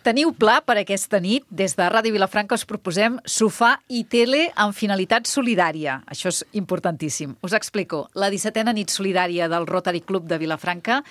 Teniu pla per aquesta nit. Des de Ràdio Vilafranca us proposem sofà i tele amb finalitat solidària. Això és importantíssim. Us explico. La 17a nit solidària del Rotary Club de Vilafranca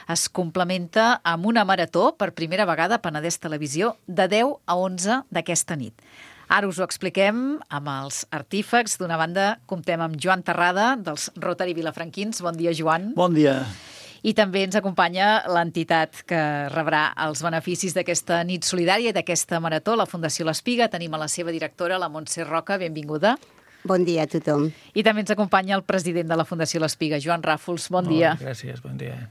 es complementa amb una marató per primera vegada a Penedès Televisió de 10 a 11 d'aquesta nit. Ara us ho expliquem amb els artífecs. D'una banda, comptem amb Joan Terrada, dels Rotary Vilafranquins. Bon dia, Joan. Bon dia. I també ens acompanya l'entitat que rebrà els beneficis d'aquesta nit solidària i d'aquesta marató, la Fundació L'Espiga. Tenim a la seva directora, la Montse Roca. Benvinguda. Bon dia a tothom. I també ens acompanya el president de la Fundació L'Espiga, Joan Ràfols. Bon dia. Gràcies, bon dia.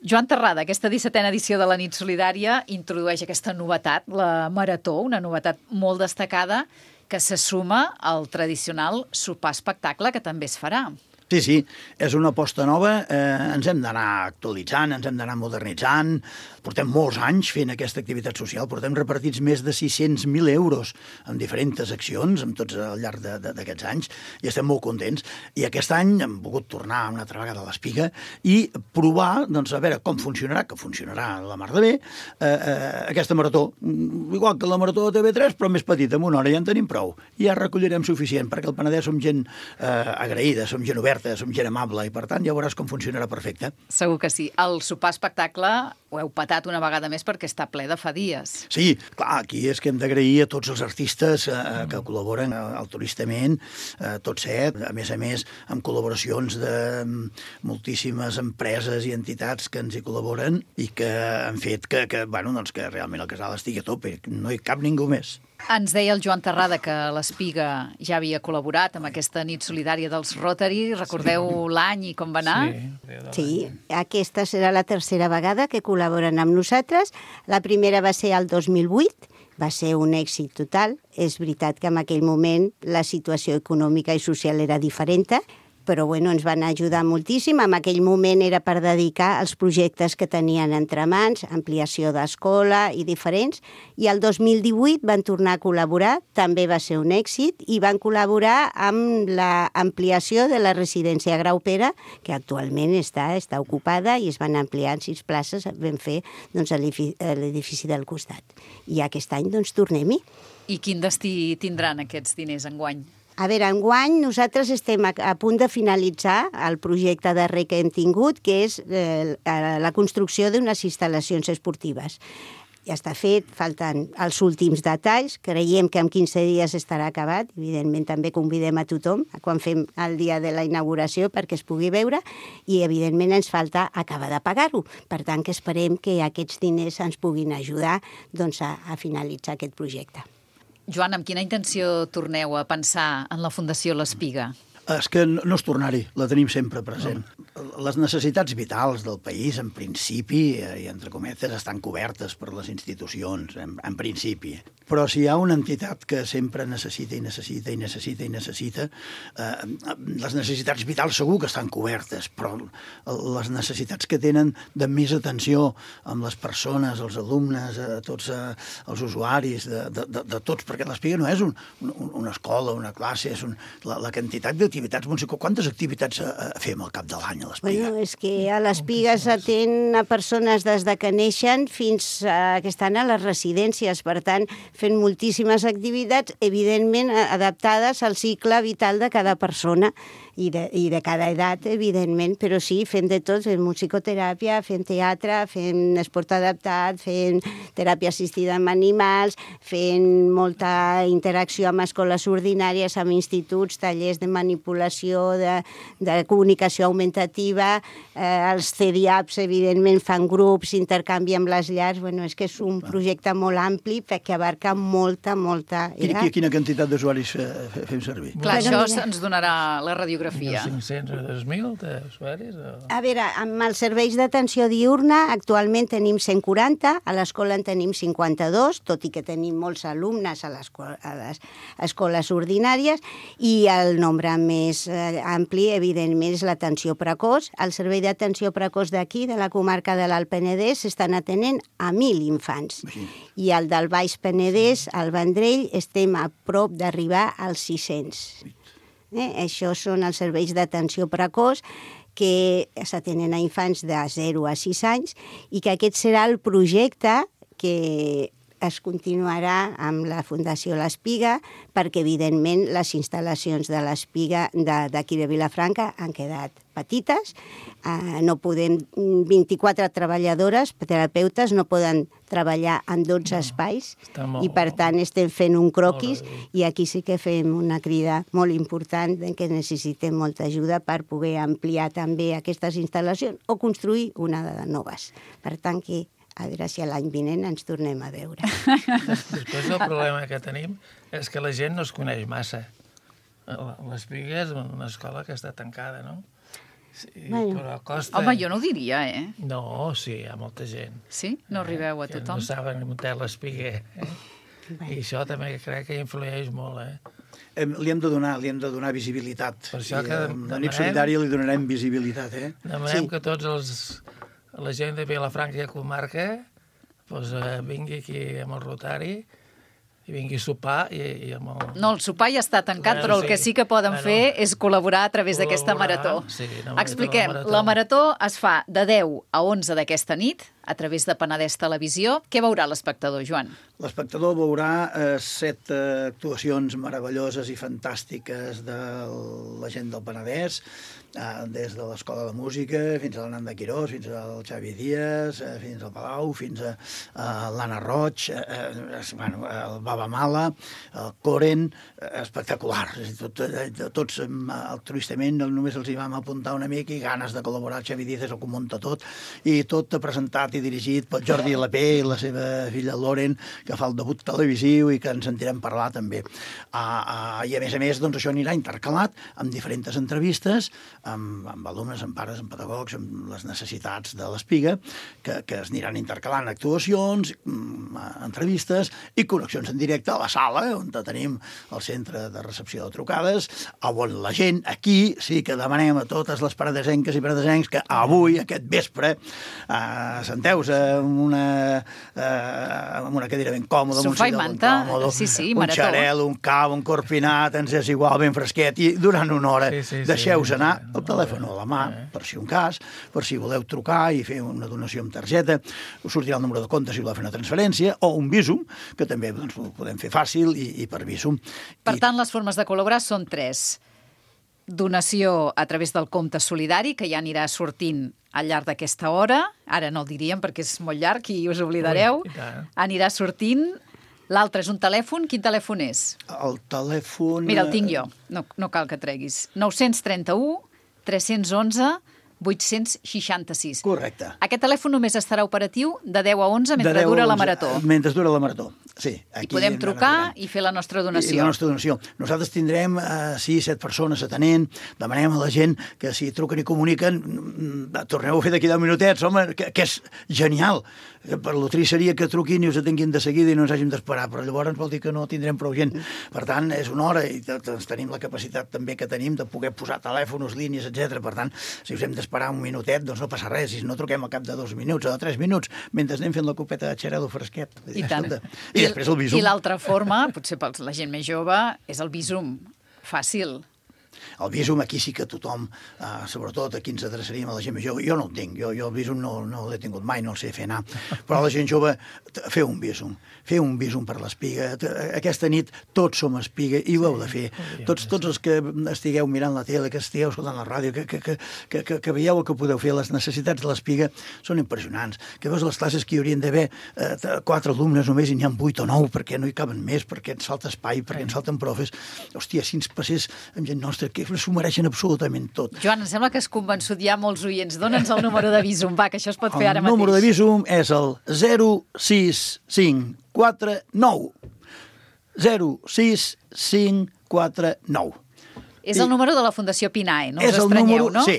Joan Terrada, aquesta 17a edició de la nit solidària introdueix aquesta novetat, la marató, una novetat molt destacada que se suma al tradicional sopar-espectacle que també es farà. Sí, és una aposta nova, ens hem d'anar actualitzant, ens hem d'anar modernitzant, portem molts anys fent aquesta activitat social, portem repartits més de 600.000 euros en diferents accions, amb tots al llarg d'aquests anys, i estem molt contents. I aquest any hem volgut tornar una altra vegada a l'Espiga i provar, doncs, a veure com funcionarà, que funcionarà la mar de bé, aquesta marató. Igual que la marató de TV3, però més petita, en una hora ja en tenim prou. I ja recollirem suficient, perquè al Penedès som gent agraïda, som gent oberta, som gent amable, i per tant ja veuràs com funcionarà perfecte. Segur que sí. El sopar-espectacle ho heu patat una vegada més perquè està ple de fa dies. Sí, clar, aquí és que hem d'agrair a tots els artistes que col·laboren altruistament, tots set, a més, amb col·laboracions de moltíssimes empreses i entitats que ens hi col·laboren i que han fet que realment el casal estigui a tope, no hi cap ningú més. Ens deia el Joan Terrada que l'Espiga ja havia col·laborat amb aquesta nit solidària dels Rotary. Recordeu l'any i com va anar? Sí, aquesta serà la tercera vegada que col·laboren amb nosaltres. La primera va ser el 2008, va ser un èxit total. És veritat que en aquell moment la situació econòmica i social era diferent, però ens van ajudar moltíssim. En aquell moment era per dedicar als projectes que tenien entre mans, ampliació d'escola i diferents, i el 2018 van tornar a col·laborar, també va ser un èxit, i van col·laborar amb l'ampliació de la residència Grau Pere, que actualment està ocupada, i es van ampliar en 6 places, vam fer a l'edifici del costat. I aquest any tornem-hi. I quin destí tindran aquests diners enguany? A veure, enguany nosaltres estem a punt de finalitzar el projecte darrer que hem tingut, que és la construcció d'unes instal·lacions esportives. Ja està fet, falten els últims detalls, creiem que en 15 dies estarà acabat, evidentment també convidem a tothom quan fem el dia de la inauguració perquè es pugui veure, i evidentment ens falta acabar de pagar-ho. Per tant, que esperem que aquests diners ens puguin ajudar a finalitzar aquest projecte. Joan, amb quina intenció torneu a pensar en la Fundació L'Espiga? És que no és tornar-hi, la tenim sempre present. Les necessitats vitals del país, en principi, i entre cometes, estan cobertes per les institucions, en principi. Però si hi ha una entitat que sempre necessita, les necessitats vitals segur que estan cobertes, però les necessitats que tenen de més atenció amb les persones, els alumnes, tots els usuaris, de tots, perquè l'Espiga no és una escola, una classe, és la quantitat d'activitats. Quantes activitats fem al cap de l'any a l'Espiga? És que a l'Espiga s'atén a persones des de que neixen fins que estan a les residències, per tant, fent moltíssimes activitats, evidentment adaptades al cicle vital de cada persona i de cada edat, evidentment, però sí, fem de tot, fem musicoteràpia, fem teatre, fem esport adaptat, fem teràpia assistida amb animals, fem molta interacció amb escoles ordinàries, amb instituts, tallers de manipulació, de comunicació augmentativa, els CDAPs, evidentment, fan grups, intercanvi amb les llars, és que és un projecte molt ampli perquè abarca molta... Quina quantitat d'usuaris fem servir? Clar, això ens donarà la radiografia. 500 o 2.000 d'usuaris? A veure, amb els serveis d'atenció diurna actualment tenim 140, a l'escola en tenim 52, tot i que tenim molts alumnes a les escoles ordinàries, i el nombre més ampli, evidentment, és l'atenció precoç. El servei d'atenció precoç d'aquí, de la comarca de l'Alt Penedès, s'estan atenent a 1.000 infants. I el del Baix Penedès, al Vendrell, estem a prop d'arribar als 600. Això són els serveis d'atenció precoç que s'atenen a infants de 0 a 6 anys i que aquest serà el projecte que es continuarà amb la Fundació l'Espiga, perquè, evidentment, les instal·lacions de l'Espiga d'aquí de Vilafranca han quedat petites. No podem, 24 treballadores, terapeutes, no poden treballar en 12 espais i, per tant, estem fent un croquis i aquí sí que fem una crida molt important que necessitem molta ajuda per poder ampliar també aquestes instal·lacions o construir una de noves. Per tant, que a veure si l'any vinent ens tornem a veure. Després el problema que tenim és que la gent no es coneix massa. L'Espiga és una escola que està tancada, no? Sí, però costa... Home, jo no ho diria, No, sí, hi ha molta gent. Sí? No arribeu a tothom? Que no saben on té l'Espiga. I això també crec que influeix molt, Li hem de donar visibilitat. Per això que a Nit Solidària li donarem visibilitat, Demanem que la gent de Vilafranca i comarca vingui aquí amb el Rotari i vingui a sopar i amb el... No, el sopar ja està tancat, però el que sí que poden fer és col·laborar a través d'aquesta marató. Expliquem, la marató es fa de 10 a 11 d'aquesta nit, a través de Penedès Televisió. Què veurà l'espectador, Joan? L'espectador veurà 7 actuacions meravelloses i fantàstiques de la gent del Penedès, des de l'Escola de Música fins a l'Ananda Quirós, fins al Xavi Díaz, fins al Palau, fins a l'Anna Roig, el Baba Mala, el Coren, espectacular. Tots altruistament, només els hi vam apuntar una mica i ganes de col·laborar. El Xavi Díaz és el que ho munta tot, i tot presentat i dirigit pel Jordi Lapé i la seva filla Loren, que fa el debut televisiu i que ens sentirem parlar també. I a més, doncs, això anirà intercalat amb diferents entrevistes, amb alumnes, amb pares, amb pedagogs, amb les necessitats de l'Espiga, que es aniran intercalant actuacions, entrevistes i connexions en directe a la sala, on tenim el centre de recepció de trucades, on la gent, aquí sí que demanem a totes les penedesenques i penedesencs que avui, aquest vespre, senteu-vos amb una cadira ben còmoda, sofà i manta, sí, un marató. xarel, un cau, un corpinat, ens és igual, ben fresquet, i durant una hora deixeu-vos anar el telèfon a la mà, per si un cas, per si voleu trucar i fer una donació amb targeta, us sortirà el número de compte si voleu fer una transferència, o un Bizum, que també doncs, ho podem fer fàcil i per Bizum. Per tant, les formes de col·laborar són 3. Donació a través del compte solidari, que ja anirà sortint al llarg d'aquesta hora. Ara no el diríem perquè és molt llarg i us oblidareu. Anirà sortint. L'altre és un telèfon. Quin telèfon és? El telèfon... Mira, el tinc jo. No cal que treguis. 931 311 866. Correcte. Aquest telèfon només estarà operatiu de 10 a 11 mentre dura la marató. Mentre dura la marató, sí. I podem trucar i fer la nostra donació. I la nostra donació. Nosaltres tindrem 6-7 persones atenent, demanem a la gent que si truquen i comuniquen, torneu a fer d'aquí 10 minutets, home, que és genial. Per lo trist seria que truquin i us atenguin de seguida i no ens hàgim d'esperar, però llavors vol dir que no tindrem prou gent. Per tant, és una hora i tenim la capacitat també que tenim de poder posar telèfons, línies, etc. Per tant, si us hem d'esperar un minutet, doncs no passa res. Si no truquem al cap de 2 minuts o de 3 minuts, mentre anem fent la copeta de xarel·lo fresquet. I tant. I després el Bizum. I l'altra forma, potser per la gent més jove, és el Bizum. Fàcil. El Bizum aquí sí que tothom, sobretot aquí ens adreçaríem a la gent més jove. Jo no el tinc, jo el Bizum no l'he tingut mai, no el sé fer anar. Però la gent jove, feu un Bizum per l'Espiga. Aquesta nit tots som Espiga i ho heu de fer. Tots els que estigueu mirant la tele, que estigueu escoltant la ràdio, que veieu el que podeu fer, les necessitats de l'Espiga són impressionants. Que veus les classes que hi haurien d'haver 4 alumnes només i n'hi ha 8 o 9 perquè no hi caben més, perquè ens falta espai, perquè ens falten profes. Hòstia, si ens passés amb gent nostra, que s'ho mereixen absolutament tot. Joan, em sembla que has convençut ja molts oients. Dóna'ns el número de Bizum, va, que això es pot fer ara mateix. El número de Bizum és el 06549. 06549. És el número de la Fundació Pinae, no us estranyeu, no? Sí,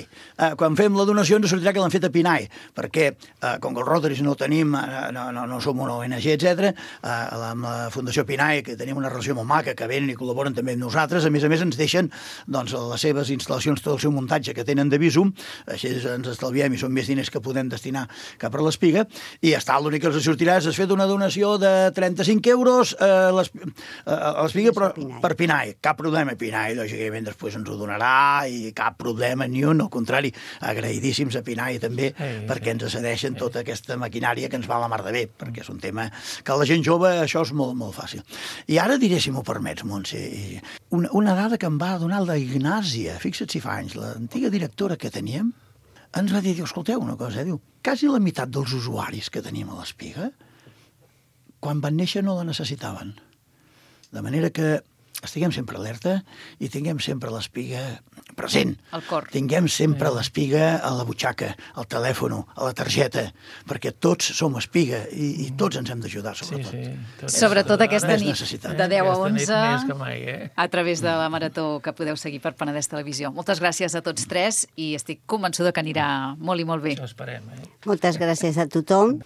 quan fem la donació ens sortirà que l'han fet a Pinae, perquè com que els Rotaris no tenim, no som una ONG, etc., amb la Fundació Pinae, que tenim una relació molt maca, que venen i col·laboren també amb nosaltres, a més ens deixen doncs, les seves instal·lacions, tot el seu muntatge que tenen de Bizum, així ens estalviem i són més diners que podem destinar cap a l'Espiga, i ja està, l'únic que els sortirà és fet una donació de 35 euros a l'Espiga, però per Pinae, cap problema, Pinae, lògicament, després ens ho donarà i cap problema ni un, al contrari, agraïdíssims a Pinai també, perquè ens cedeixen tota aquesta maquinària que ens va a la mar de bé, perquè és un tema que a la gent jove això és molt, molt fàcil. I ara diré, si m'ho permets, Montse, una dada que em va donar la Ignàsia, fixa't si fa anys, l'antiga directora que teníem, ens va dir, escolteu una cosa, diu, quasi la meitat dels usuaris que teníem a l'Espiga, quan van néixer no la necessitaven. De manera que estiguem sempre alerta i tinguem sempre l'Espiga present. Al cor. Tinguem sempre l'Espiga a la butxaca, al telèfon, a la targeta, perquè tots som Espiga i tots ens hem d'ajudar, sobretot. Sí. Sobretot aquesta nit, de 10 a 11, més que mai, a través de la marató que podeu seguir per Penedès Televisió. Moltes gràcies a tots tres i estic convençuda que anirà molt i molt bé. Això esperem, Moltes gràcies a tothom.